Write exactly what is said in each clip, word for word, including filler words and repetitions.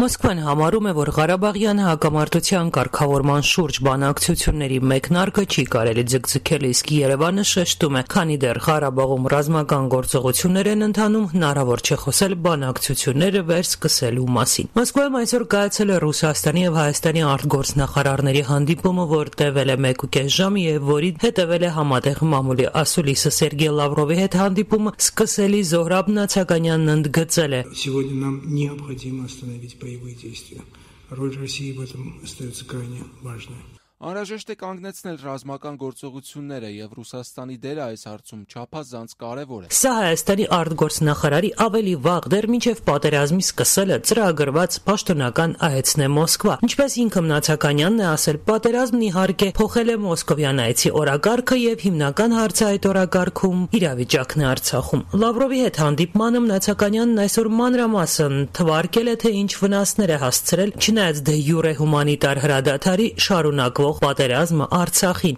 Մոսկվան համարում է, որ Ղարաբաղյան հակամարտության կարգավորման շուրջ բանակցությունների մեկնարկը չի կարելի ձգձգել, իսկ Երևանը շեշտում է, քանի դեռ Ղարաբաղում ռազմական գործողություններ են ընթանում, հնարավոր չէ խոսել բանակցությունները վերսկսելու մասին։ Մոսկվայում այսօր կայացել է Ռուսաստանի եւ Հայաստանի արտգործնախարարների հանդիպումը, որ տևել է մեկուկես ժամ եւ որին հետեւել է համատեղ մամուլի ասուլիսը Սերգեյ Լավրովի հետ հանդիպումը սկսելի Զոհրաբ Նացականյանն ընդգծել է. Сегодня нам необходимо остановить боевые действия. Роль России в этом остается крайне важной. Անհրաժեշտ է կանգնեցնել ռազմական գործողությունները եւ Ռուսաստանի դերը այս հարցում չափազանց կարեւոր է։ Սա Հայաստանի արտգործնախարարի ավելի վաղ դեռ մինչեւ պատերազմի սկսելը ծրագրված պաշտոնական այցն է Մոսկվա։ Ինչպես ինքը Նացականյանն է ասել, պատերազմն իհարկե փոխել է մոսկովյան այցի օրակարգը եւ հիմնական հարցը այդ օրակարգում իրավիճակն է Արցախում։ Լավրովի հետ հանդիպմանը Նացականյանն այսօր մանրամասն թվարկել է, թե ինչ վնասներ է հասցրել, չնայած դե յուրե հումանիտար հրադադարի շարունակվող պատերազմը Արցախին։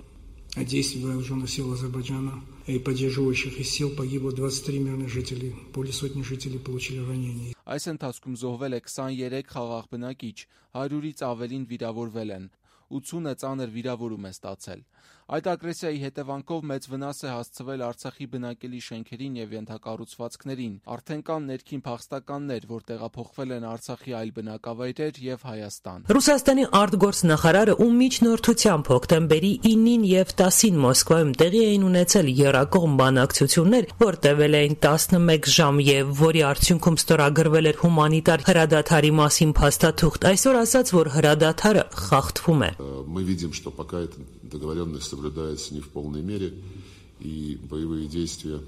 От действий вооруженных сил Азербайджана и поддерживающих их сил погибло двадцать три мирных жителей, более сотни жителей получили ранения. Այս ընթացքում զոհվել է քսաներեք խաղաղ բնակիչ, հարյուրից ավելին վիրավորվել են, ութսունը ծանր վիրավորում է ստացել։ Այդ ագրեսիայի հետևանքով մեծ վնաս է հասցվել Արցախի բնակելի շենքերին եւ ենթակառուցվածքներին։ Արդեն կան ներքին փախստականներ, որ տեղափոխվել են Արցախի այլ բնակավայրեր եւ Հայաստան։ Ռուսաստանի արտգործնախարարը ում միջնորդությամբ հոկտեմբերի ինին եւ տասին Մոսկվայում տեղի էին ունեցել եռակողմ բանակցություններ, որ տևել էին տասնմեկ ժամ եւ որի արդյունքում ստորագրվել էր հումանիտար հրադադարի մասին փաստաթուղթ, այսօր ասաց, որ հրադադարը խախտվում է։ Мы видим, что пока эта договоренность соблюдается не в полной мере, и боевые действия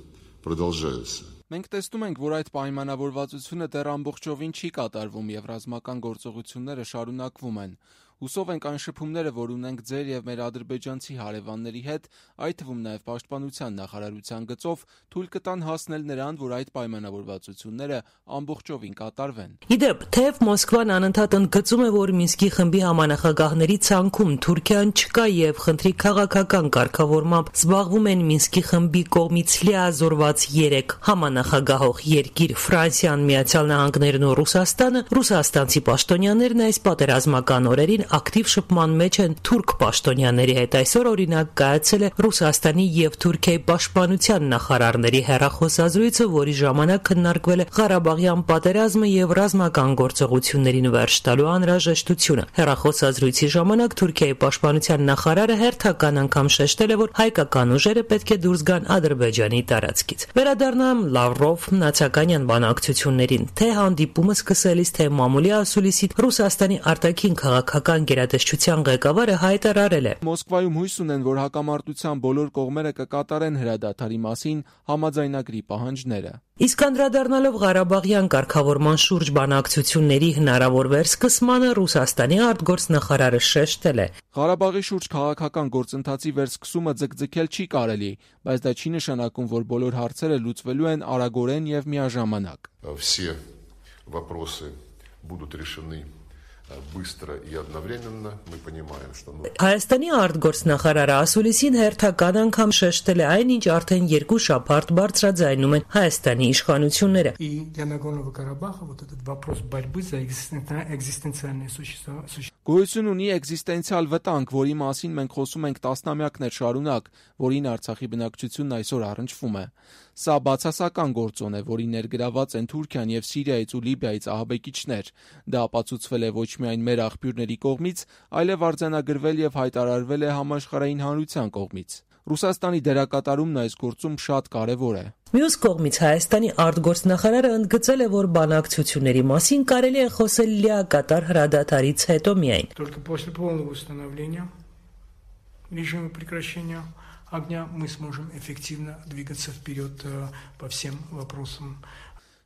продолжаются. Մենք տեսնում ենք, որ այդ պայմանավորվածությունը դեռ ամբողջովին չի կատարվում եւ ռազմական գործողությունները շարունակվում են։ Հուսով ենք այն շփումները, որ ունենք ձեր եւ մեր ադրբեջանցի հարևանների հետ, այդ թվում նաեւ պաշտպանության նախարարության գծով, թույլ կտան հասնել նրան, որ այդ պայմանավորվածությունները ամբողջովին կատարվեն։ Իդեպ, թեև Մոսկվան անընդհատ ընդգծում է, որ Մինսկի խմբի համանախագահների ցանկում Թուրքիան չկա եւ խնդրի քաղաքական կարգավորմամբ զբաղվում են Մինսկի խմբի կողմից լիազորված երեք համանախագահող երկիր Ֆրանսիան, Միացյալ Նահանգներն ու Ռուսաստանը, ռուսաստանցի պաշտոնյաներն այս պատերազմական օրերին ակտիվ շփման մեջ են թուրք պաշտոնյաների հետ։ Այսօր օրինակ կայացել է Ռուսաստանի եւ Թուրքիայի պաշտպանության նախարարների հեռախոսազրույցը, որի ժամանակ քննարկվել է Ղարաբաղյան պատերազմը եւ ռազմական գործողություններին վերջ տալու անհրաժեշտությունը։ Հեռախոսազրույցի ժամանակ Թուրքիայի պաշտպանության նախարարը հերթական անգամ շեշտել է, որ հայկական ուժերը պետք է դուրս գան Ադրբեջանի տարածքից։ Վերադառնամ Լավրով Նացականյան բանակցություններին, թե հանդիպումը սկսելիս, թե մամուլի ասուլիսի Ռուսաստանի արտաքին քաղաքական գերատեսչության ղեկավարը հայտարարել է. Մոսկվայում հույս ունեն, որ հակամարտության բոլոր կողմերը կկատարեն հրադադարի մասին համաձայնագրի պահանջները։ Իսկ անդրադառնալով Ղարաբաղյան կարգավորման շուրջ բանակցությունների հնարավոր վերսկսմանը Ռուսաստանի արտգործնախարարը շեշտել է. Ղարաբաղի շուրջ քաղաքական գործընթացի վերսկսումը ձգձգել չի կարելի, բայց դա չի նշանակում, որ բոլոր հարցերը լուծվելու են արագորեն եւ միաժամանակ։ Все вопросы будут решены быстро и одновременно. Мы понимаем, что Հայաստանի արտգործնախարարը ասուլիսին հերթական անգամ շեշտել է այն, ինչ արդեն երկու շաբաթ բարձրաձայնում են Հայաստանի իշխանությունները։ И для Нагорного Карабаха вот этот вопрос борьбы за экзистенциальное существование. Գոյություն ունի էգզիստենցիալ վտանգ, որի մասին մենք խոսում ենք տասնամյակներ շարունակ, որին Արցախի բնակչությունն այսօր առնչվում է։ Սա բացասական գործոն է, որի ներգրաված են Թուրքիան եւ Սիրիայից ու Լիբիայից ահաբեկիչներ։ Դա ապացուցվել է ոչ միայն մեր աղբյուրների կողմից, այլև արձանագրվել եւ հայտարարվել է համաշխարհային հանրության կողմից։ Ռուսաստանի դերակատարումն այս գործում շատ կարևոր է։ Մյուս կողմից Հայաստանի արտգործնախարարը ընդգծել է, որ բանակցությունների մասին կարելի է խոսել լիակատար հրադադարից հետո միայն։ Только после полного установления режима прекращения огня мы сможем эффективно двигаться вперед по всем вопросам.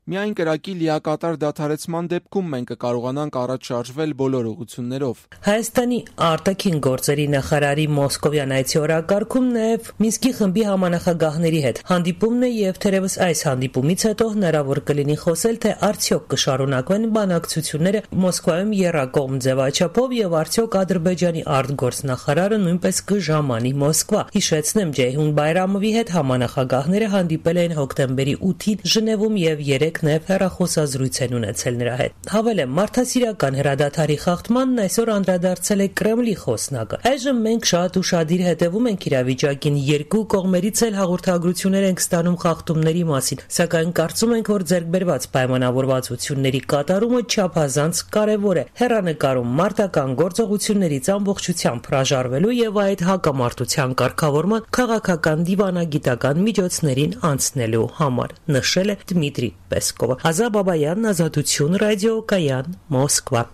Միայն կրակի լիակատար դադարեցման դեպքում մենք կկարողանանք առաջ շարժվել բոլոր ուղղություններով։ Հայաստանի արտաքին գործերի նախարարի մոսկովյան այցի օրակարգում նաև Մինսկի խմբի համանախագահների հետ հանդիպումն է եւ թերևս այս հանդիպումից հետո հնարավոր կլինի խոսել, թե արդյոք կշարունակվեն բանակցությունները Մոսկվայում եռակողմ ձևաչափով եւ արդյոք Ադրբեջանի արտգործնախարարը նույնպես կժամանի Մոսկվա։ Հիշեցնեմ, Ջեյհուն Բայրամովի հետ համանախագահները հանդիպել էին հոկտեմբերի ութին Ժնևում եւ երեք երեկ նաև հեռախոսազրույց են ունեցել նրա հետ։ Հավելեմ, մարդասիրական հրադադարի խախտմանն այսօր անդրադարձել է Կրեմլի խոսնակը։ Այժմ մենք շատ ուշադիր հետևում ենք իրավիճակին, երկու կողմերից էլ հաղորդագրություններ ենք ստանում խախտումների մասին, սակայն կարծում ենք, որ ձեռքբերված պայմանավորվածությունների կատարումը չափազանց կարևոր է հեռանկարում մարտական գործողություններից ամբողջությամբ հրաժարվելու եւ այդ հակամարտության կարգավորման քաղաքական դիվանագիտական միջոցներին անցնելու համար, նշել է Դմիտրի Պեսկովը։ Ազա Բաբայան, Ազատություն ռադիո, Կայան, Մոսկվա։